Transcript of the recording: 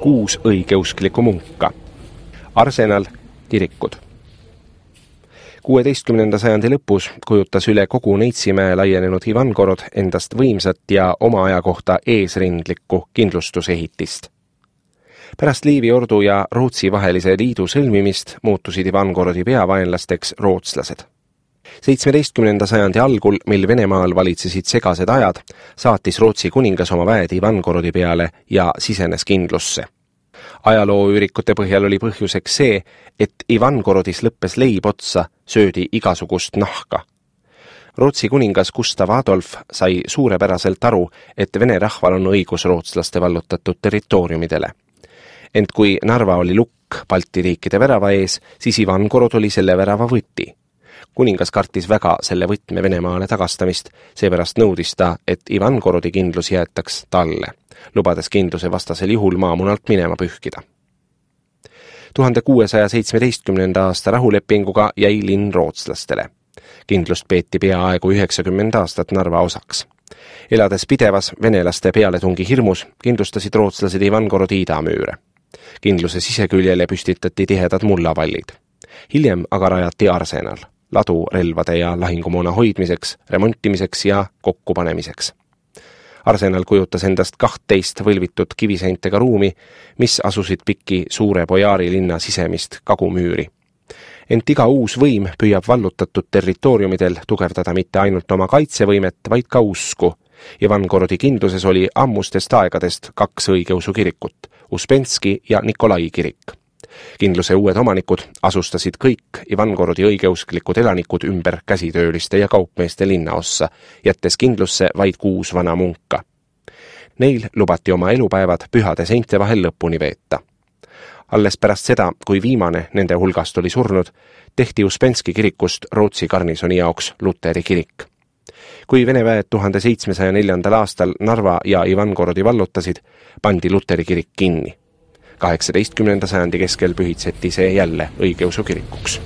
6 õigeusklikku munka. Arsenal, kirikud. 16. sajandi lõpus kujutas üle kogu Neitsimäe laienenud Ivangorod endast võimsat ja oma aja kohta eesrindlikku kindlustusehitist. Pärast Liivi ordu ja Rootsi vahelise liidu sõlmimist muutusid Ivangorodi peavaenlasteks rootslased. 17. sajandi algul, mil Venemaal valitsesid segased ajad, saatis Rootsi kuningas oma väed Ivangorodi peale ja sisenes kindlusse. Ajalooüürikute põhjal oli põhjuseks see, et Ivangorodis lõppes leib otsa, söödi igasugust nahka. Rootsi kuningas Gustav Adolf sai suurepäraselt aru, et vene rahval on õigus rootslaste vallutatud territooriumidele. Ent kui Narva oli lukk Balti riikide värava ees, siis Ivangorod oli selle värava võti. Kuningas kartis väga selle võtme Venemaale tagastamist, seepärast nõudis ta, et Ivangorodi kindlus jäetaks talle, lubades kindluse vastasel juhul maamunalt minema pühkida. 1617. aasta rahulepinguga jäi linn rootslastele. Kindlust peeti peaaegu 90 aastat Narva osaks. Elades pidevas venelaste pealetungi hirmus, kindlustasid rootslased Ivangorodi idamüüre. Kindluse siseküljele püstitati tihedad mullavallid. Hiljem aga rajati arsenal, ladu relvade ja lahingumoona hoidmiseks, remontimiseks ja kokkupanemiseks. Arsenal kujutas endast 12 võlvitud kiviseintega ruumi, mis asusid pikki suure Bojaari linna sisemist kagumüüri. Ent iga uus võim püüab vallutatud territooriumidel tugevdada mitte ainult oma kaitsevõimet, vaid ka usku. Ivangorodi kindluses oli ammustest aegadest 2 õigeusu kirikut, Uspenski ja Nikolai kirik. Kindluse uued omanikud asustasid kõik Ivangorodi õigeusklikud elanikud ümber käsitööliste ja kaupmeeste linnaossa, jättes kindlusse vaid 6 vana munka. Neil lubati oma elupäevad pühade seinte vahel lõpuni veeta. Alles pärast seda, kui viimane nende hulgast oli surnud, tehti Uspenski kirikust Rootsi garnisoni jaoks Luteri kirik. Kui Vene väed 1704. aastal Narva ja Ivangorodi vallutasid, pandi Luteri kirik kinni. 18. sajandi keskel pühitseti see jälle õigeusu kirikuks.